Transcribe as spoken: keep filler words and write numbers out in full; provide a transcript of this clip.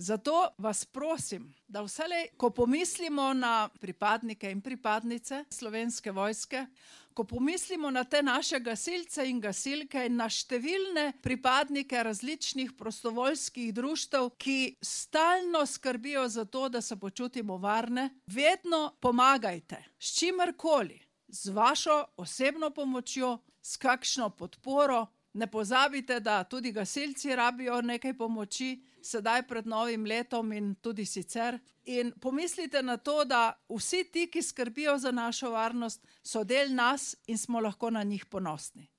Zato vas prosim, da vselej, ko pomislimo na pripadnike in pripadnice Slovenske vojske, ko pomislimo na te naše gasilce in gasilke in na številne pripadnike različnih prostovoljskih društev, ki stalno skrbijo za to, da se počutimo varne, vedno pomagajte, s čimerkoli, z vašo osebno pomočjo, s kakšno podporo. Ne pozabite, da tudi gasilci rabijo nekaj pomoči, sedaj pred novim letom in tudi sicer. In pomislite na to, da vsi ti, ki skrbijo za našo varnost, so del nas in smo lahko na njih ponosni.